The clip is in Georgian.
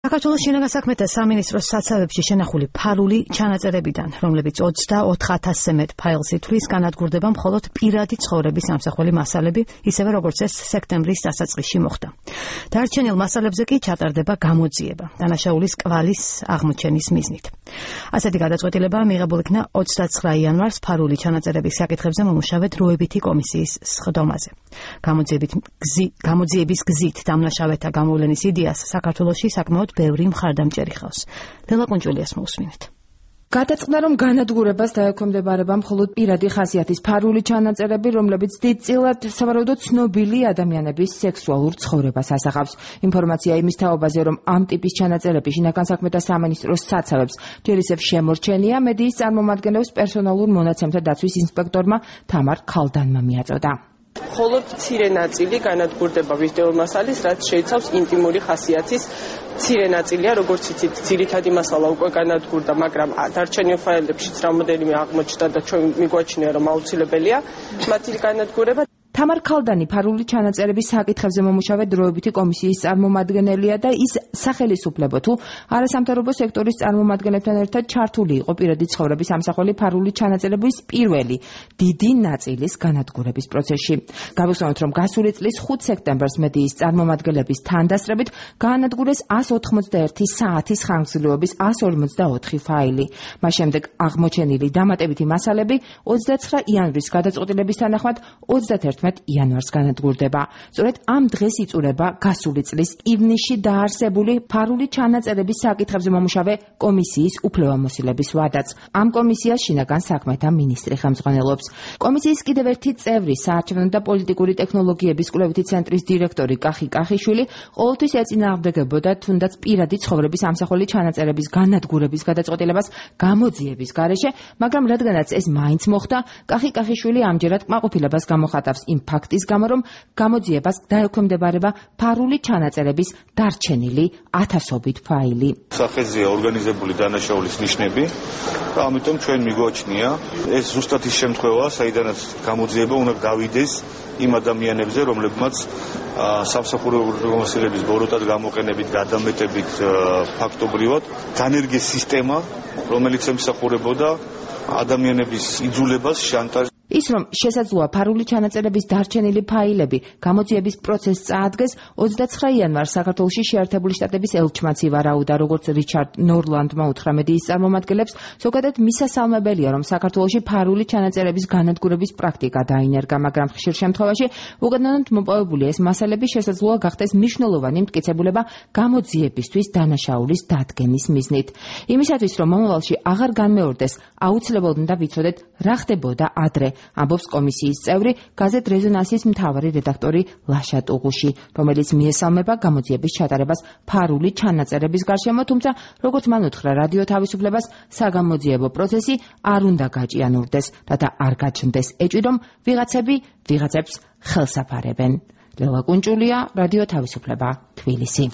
საქართველოს შინაგან საქმეთა სამინისტროს საცავებში შენახული ფარული ჩანაწერებიდან, რომლებიც 24,000-ზე მეტ ფაილს ითვლის, განადგურდება მხოლოდ პირადი ცხოვრების ამსახველი მასალები, ისევე როგორც ეს სექტემბრის დასაწყისში მოხდა. დარჩენილ მასალებზე კი ჩატარდება გამოძიება, დანაშაულის კვალის აღმოჩენის მიზნით. ასეთი გადაწყვეტილება მიღებულ იქნა 29 იანვარს ფარული ჩანაწერების საკითხებზე მომუშავე დროებითი კომისიის სხდომაზე. გამოძიების გზით დამნაშავეთა გამოვლენის იდეას საქართველოში საკმაოდ ბევრი მხარდამჭერი ხავს. ლელა კუნჭულიას მოусმინეთ. გადაწყდა, რომ განადგურებას დაექვემდებარება მხოლოდ პირადი ხასიათის ფარული ჩანაწერები, რომლებიც დიდწილად სავარაუდოდ ცნობილი ადამიანების სექსუალურ ცხოვრებას ასახავს. ინფორმაცია იმის თაობაზე, რომ ამ ტიპის ჩანაწერები შინაგან საქმეთა სამინისტროს საცავებს ჯერ ისევ შემორჩენია, მედიის წარმომადგენლებს პერსონალურ მონაცემთა დაცვის ინსპექტორმა თამარ ქალდანმა მიაწოდა. მხოლოდ მცირე ნაწილი განადგურდება ვიდეო მასალის, რაც შეიცავს ინტიმური ხასიათის მცირე ნაწილია, როგორც იცით, ძირითადი მასალა უკვე განადგურდა, მაგრამ დარჩენილ ფაილებშიც რამოდენიმე აღმოჩნდა და ჩვენ მიგვაჩნია, რომ აუცილებელია მათი განადგურება. თამარ ქალდანი ფარული ჩანაწერების საკითხებზე მომუშავე დროებითი კომისიის წარმომადგენელია და ის სახელისუფლებო თუ არასამთავრობო სექტორის წარმომადგენლებთან ერთად ჩართული იყო პირადი ცხოვრების ამსახველი ფარული ჩანაწერების პირველი დიდი ნაწილის განადგურების პროცესში. გავიხსენოთ, რომ გასული წლის 5 სექტემბერს მედიის წარმომადგენლების თანდასწრებით გაანადგურეს 181 საათის ხანგრძლივობის 154 ფაილი. მას შემდეგ აღმოჩენილი დამატებითი მასალები 29 იანვრის გადაწყვეტილების თანახმად 31 იანვარს განადგურდება. სწორედ ამ დღეს იწურება გასული წლის ივნისში დაარსებული ფარული ჩანაწერების საკითხებზე მომუშავე კომისიის უფლებამოსილების ვადაც. ამ კომისიას შინაგან საქმეთა მინისტრი ხელმძღვანელობს. კომისიის კიდევ ერთი წევრი, საარჩევნო და პოლიტიკური ტექნოლოგიების კვლევითი ცენტრის დირექტორი კახი კახიშვილი, ყოველთვის ეწინააღმდეგებოდა თუნდაც პირადი ცხოვრების ამსახველი ჩანაწერების განადგურების გადაწყვეტილებას გამოძიების გარეშე, მაგრამ რადგანაც ეს მაინც მოხდა, კახი კახიშვილი ამჯერად კმაყოფილებას გამოხატავს იმ ფაქტის გამო, რომ გამოძიებას დაექვემდებარება ფარული ჩანაწერების დარჩენილი ათასობით ფაილი. სახეზეა ორგანიზებული დანაშაულის ნიშნები და ამიტომ ჩვენ მიგვაჩნია ეს ზუსტად ის შემთხვევა, საიდანაც გამოძიება უნდა გავიდეს იმ ადამიანებზე, რომლებმაც სამსახურეური მასალების ბოროტად გამოყენებით, გადამეტებით ფაქტობრივად განერგეს სისტემა, რომელიც ემსახურებოდა ადამიანების იძულებას შანტაჟს. ის, რომ შესაძლოა ფარული ჩანაწერების დარჩენილი ფაილები გამოძიების პროცესს წაადგეს, 29 იანვარს საქართველოში შეერთებული შტატების ელჩმაც ივარაუდა, როგორც რიჩარდ ნორლანდმა უთხრა მედიის წარმომადგენლებს, ზოგადად მისასალმებელია, რომ საქართველოში ფარული ჩანაწერების განადგურების პრაქტიკა დაინერგა, მაგრამ ხშირ შემთხვევაში უგანონოდ მოპოვებული ეს მასალები შესაძლოა გახდეს მნიშვნელოვანი მტკიცებულება გამოძიებისთვის დანაშაულის დადგენის მიზნით. იმისათვის, რომ მომავალში აღარ განმეორდეს, აუცილებლად უნდა ვიცოდეთ, რა ხდებოდა ადრე. ამბობს კომისიის წევრი, გაზეთ რეზონანსის მთავარი რედაქტორი ლაშა ტუღუში, რომელიც მიესალმება გამოძიების ჩატარებას ფარული ჩანაწერების გარშემო, თუმცა როგორც მან უთხრა რადიო თავისუფლებას, საგამოძიებო პროცესი არ უნდა გაჭიანურდეს, რათა არ გაჩნდეს ეჭვი, რომ ვიღაცები ვიღაცებს ხელს აფარებენ. ლელა კუნჭულია, რადიო თავისუფლება, თბილისი.